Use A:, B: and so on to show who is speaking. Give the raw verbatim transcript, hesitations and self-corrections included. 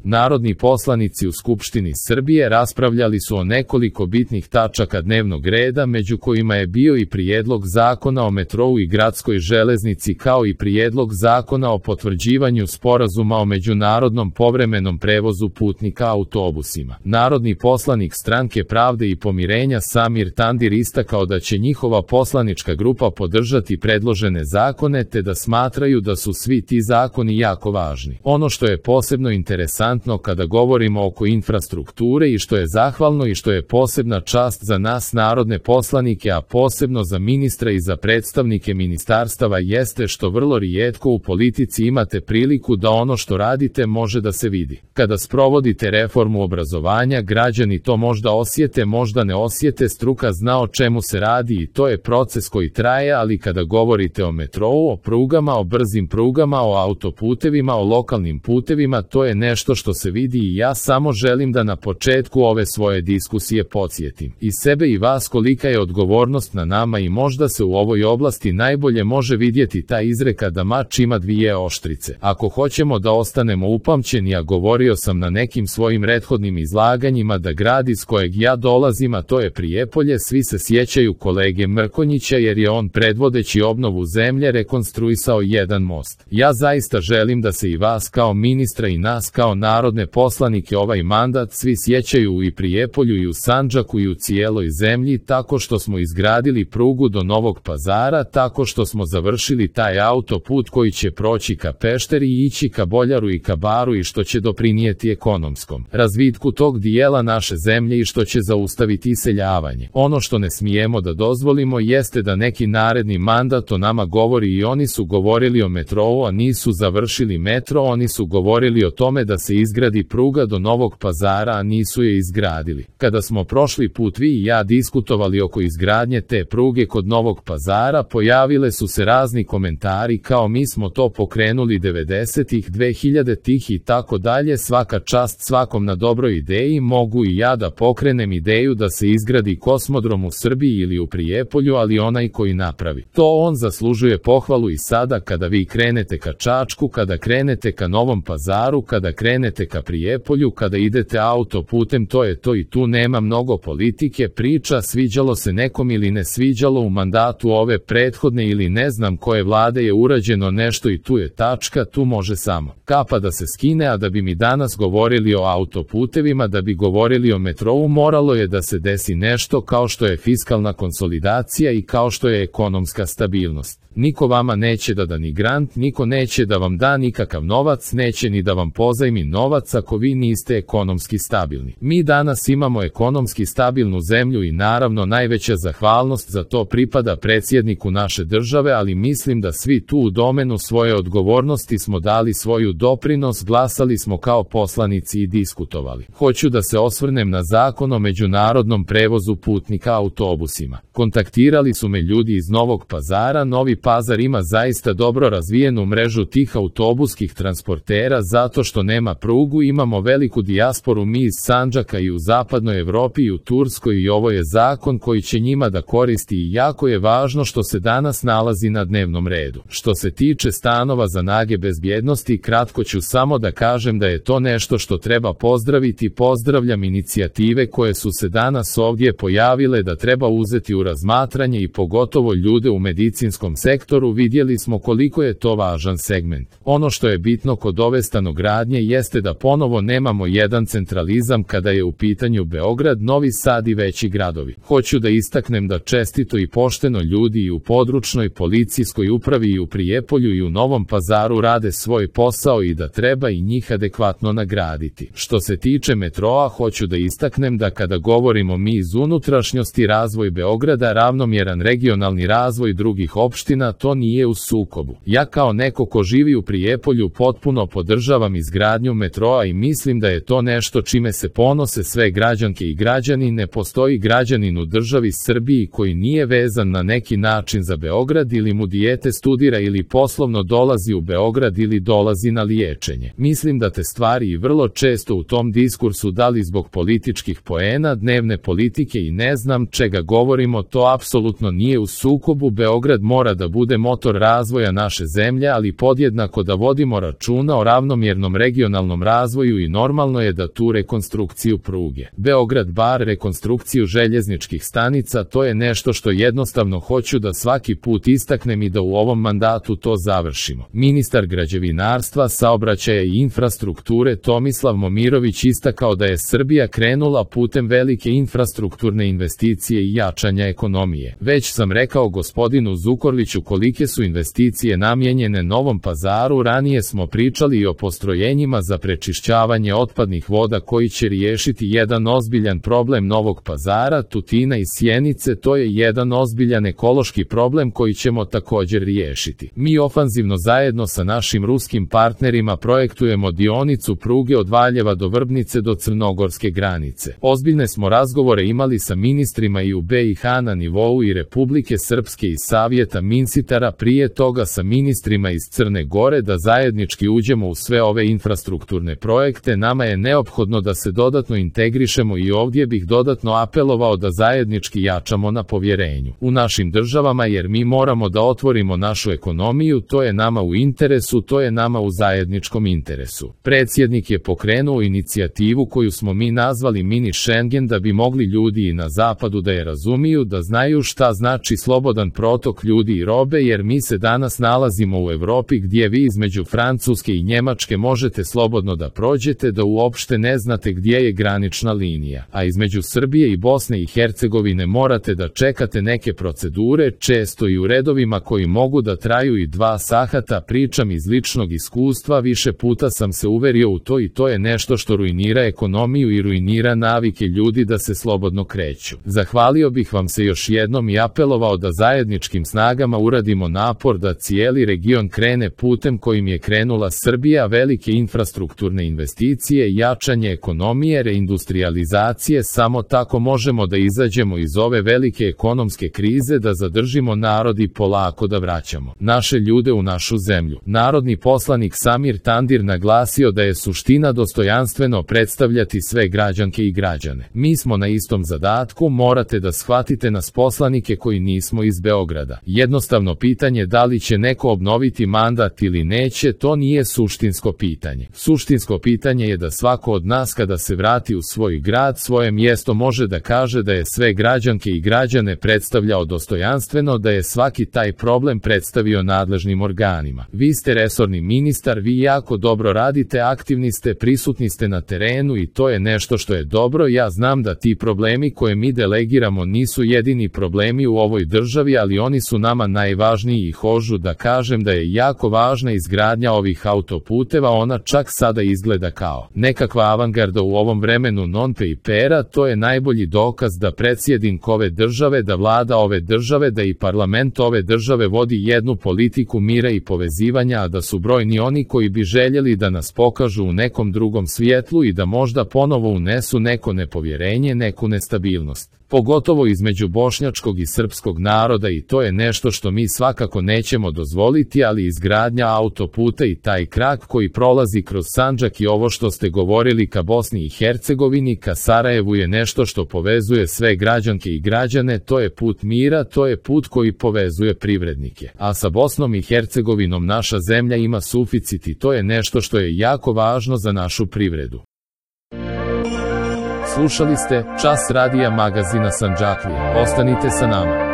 A: Narodni poslanici u Skupštini Srbije raspravljali su o nekoliko bitnih tačaka dnevnog reda, među kojima je bio i prijedlog zakona o metrou i gradskoj železnici, kao i prijedlog zakona o potvrđivanju sporazuma o međunarodnom povremenom prevozu putnika autobusima. Narodni poslanik Stranke pravde i pomirenja Samir Tandir istakao da će njihova poslanička grupa podržati predložene zakone, te da smatraju da su svi ti zakoni jako važni. Ono što je posebno interesantno kada govorimo oko infrastrukture i što je zahvalno i što je posebna čast za nas narodne poslanike, a posebno za ministra i za predstavnike ministarstava, jeste što vrlo rijetko u politici imate priliku da ono što radite može da se vidi. Kada sprovodite reformu obrazovanja, građani to možda osjete, možda ne osjete, struka zna o čemu se radi i to je proces koji traje, ali kada govorite o metrou, o prugama, o brzim prugama, o autoputevima, o lokalnim putevima, to je nešto što se vidi i ja samo želim da na početku ove svoje diskusije podsjetim i sebe i vas kolika je odgovornost na nama i možda se u ovoj oblasti najbolje može vidjeti ta izreka da mač ima dvije oštrice. Ako hoćemo da ostanemo upamćeni, a govorio sam na nekim svojim prethodnim izlaganjima da grad iz kojeg ja dolazim, a to je Prijepolje, svi se sjećaju kolege Mrkonjića jer je on predvodeći obnovu zemlje rekonstruisao jedan most. Ja zaista želim da se i vas kao ministra i nas kao narodne poslanike ovaj mandat svi sjećaju i Prijepolju i u Sandžaku i u cijeloj zemlji, tako što smo izgradili prugu do Novog Pazara, tako što smo završili taj autoput koji će proći ka Pešteri i ići ka Boljaru i ka Baru i što će doprinijeti ekonomskom razvitku tog dijela naše zemlje i što će zaustaviti iseljavanje. Ono što ne smijemo da dozvolimo jeste da neki naredni mandat o nama govori i oni su govorili o metrou, a nisu završili metro, oni su govorili o tome da se izgradi pruga do Novog Pazara, a nisu je izgradili. Kada smo prošli put vi i ja diskutovali oko izgradnje te pruge kod Novog Pazara, pojavile su se razni komentari kao mi smo to pokrenuli devedesetih, dvehiljaditih i tako dalje. Svaka čast svakom na dobroj ideji, mogu i ja da pokrenem ideju da se izgradi kosmodrom u Srbiji ili u Prijepolju, ali onaj koji napravi to, on zaslužuje pohvalu. I sada kada vi krenete ka Čačku, kada krenete ka Novom Pazaru, kada krenete ka Prijepolju, kada idete autoputem, to je to i tu nema mnogo politike, priča, sviđalo se nekom ili ne sviđalo u mandatu ove prethodne ili ne znam koje vlade je urađeno nešto i tu je tačka, tu može samo kapa da se skine, a da bi mi danas govorili o autoputevima, da bi govorili o metrou, moralo je da se desi nešto kao što je fiskalna konsolidacija i kao što je ekonomska stabilnost. Niko vama neće da da ni grant, niko neće da vam da nikakav novac, neće ni da vam pozajmi novac ako vi niste ekonomski stabilni. Mi danas imamo ekonomski stabilnu zemlju i naravno najveća zahvalnost za to pripada predsjedniku naše države, ali mislim da svi tu u domenu svoje odgovornosti smo dali svoju doprinos, glasali smo kao poslanici i diskutovali. Hoću da se osvrnem na zakon o međunarodnom prevozu putnika autobusima. Kontaktirali su me ljudi iz Novog Pazara. Novi Pazar ima zaista dobro razvijenu mrežu tih autobuskih transportera zato što nema prugu, imamo veliku dijasporu mi iz Sandžaka i u zapadnoj Evropi i u Turskoj i ovo je zakon koji će njima da koristi i jako je važno što se danas nalazi na dnevnom redu. Što se tiče stanova za nage bezbjednosti, kratko ću samo da kažem da je to nešto što treba pozdraviti. Pozdravljam inicijative koje su se danas ovdje pojavile da treba uzeti u razmatranje i pogotovo ljude u medicinskom sektoru. Vidjeli smo koliko je to važan segment. Ono što je bitno kod ove stanogradnje jeste da ponovo nemamo jedan centralizam kada je u pitanju Beograd, Novi Sad i veći gradovi. Hoću da istaknem da čestito i pošteno ljudi i u područnoj policijskoj upravi i u Prijepolju i u Novom Pazaru rade svoj posao i da treba i njih adekvatno nagraditi. Što se tiče metroa, hoću da istaknem da kada govorimo mi iz unutrašnjosti, razvoj Beograda, ravnomjeran regionalni razvoj drugih opština, to nije u sukobu. Ja kao neko ko živi u Prijepolju potpuno podržavam izgradnju metroa i mislim da je to nešto čime se ponose sve građanke i građani. Ne postoji građanin u državi Srbiji koji nije vezan na neki način za Beograd ili mu dijete studira ili poslovno dolazi u Beograd ili dolazi na liječenje. Mislim da te stvari i vrlo često u tom diskursu dali zbog političkih poena, dnevne politike i ne znam čega govorimo, to apsolutno nije u sukobu. Beograd mora da bude motor razvoja naše zemlje, ali podjednako da vodimo računa o ravnomjernom regionalnom regionalnom razvoju i normalno je da tu rekonstrukciju pruge Beograd-Bar, rekonstrukciju željezničkih stanica, to je nešto što jednostavno hoću da svaki put istaknem i da u ovom mandatu to završimo. Ministar građevinarstva, saobraćaja i infrastrukture Tomislav Momirović istakao da je Srbija krenula putem velike infrastrukturne investicije i jačanja ekonomije. Već sam rekao gospodinu Zukorliću kolike su investicije namijenjene Novom Pazaru, ranije smo pričali i o postrojenjima za prečišćavanje otpadnih voda koji će riješiti jedan ozbiljan problem Novog Pazara, Tutina i Sjenice, to je jedan ozbiljan ekološki problem koji ćemo također riješiti. Mi ofanzivno zajedno sa našim ruskim partnerima projektujemo dionicu pruge od Valjeva do Vrbnice do crnogorske granice. Ozbiljne smo razgovore imali sa ministrima i u B i H na nivou i Republike Srpske i Savjeta Minsitara, prije toga sa ministrima iz Crne Gore, da zajednički uđemo u sve ove infrastrukturne projekte. Nama je neophodno da se dodatno integrišemo i ovdje bih dodatno apelovao da zajednički jačamo na povjerenju u našim državama, jer mi moramo da otvorimo našu ekonomiju, to je nama u interesu, to je nama u zajedničkom interesu. Predsjednik je pokrenuo inicijativu koju smo mi nazvali mini Schengen, da bi mogli ljudi i na zapadu da je razumiju, da znaju šta znači slobodan protok ljudi i robe, jer mi se danas nalazimo u Evropi gdje vi između Francuske i Njemačke možete slobodno da prođete, da uopšte ne znate gdje je granična linija, a između Srbije i Bosne i Hercegovine morate da čekate neke procedure, često i u redovima koji mogu da traju i dva sahata. Pričam iz ličnog iskustva, više puta sam se uverio u to i to je nešto što ruinira ekonomiju i ruinira navike ljudi da se slobodno kreću. Zahvalio bih vam se još jednom i apelovao da zajedničkim snagama uradimo napor da cijeli region krene putem kojim je krenula Srbija, velike infrastrukturne investicije, jačanje ekonomije, reindustrializacije. Samo tako možemo da izađemo iz ove velike ekonomske krize, da zadržimo narod i polako da vraćamo naše ljude u našu zemlju. Narodni poslanik Samir Tandir naglasio da je suština dostojanstveno predstavljati sve građanke i građane. Mi smo na istom zadatku, morate da shvatite nas poslanike koji nismo iz Beograda. Jednostavno pitanje da li će neko obnoviti mandat ili neće, to nije suštinsko pitanje. Suštinsko pitanje je da svako od nas kada se vrati u svoj grad, svoje mjesto, može da kaže da je sve građanke i građane predstavljao dostojanstveno, da je svaki taj problem predstavio nadležnim organima. Vi ste resorni ministar, vi jako dobro radite, aktivni ste, prisutni ste na terenu i to je nešto što je dobro. Ja znam da ti problemi koje mi delegiramo nisu jedini problemi u ovoj državi, ali oni su nama najvažniji i hoću da kažem da je jako važna izgradnja ovih autoputeva, ona čak sada izgleda kao nekakva avangarda u ovom vremenu non-papera, to je najbolji dokaz da predsjednik ove države, da vlada ove države, da i parlament ove države vodi jednu politiku mira i povezivanja, a da su brojni oni koji bi željeli da nas pokažu u nekom drugom svijetlu i da možda ponovo unesu neko nepovjerenje, neku nestabilnost, pogotovo između bošnjačkog i srpskog naroda, i to je nešto što mi svakako nećemo dozvoliti. Ali izgradnja autoputa i taj krak koji prolazi kroz Sandžak i ovo što ste govorili ka Bosni i Hercegovini, ka Sarajevu, je nešto što povezuje sve građanke i građane, to je put mira, to je put koji povezuje privrednike. A sa Bosnom i Hercegovinom naša zemlja ima suficit i to je nešto što je jako važno za našu privredu. Slušali ste Čas radija magazina Sandžaklija. Ostanite sa nama.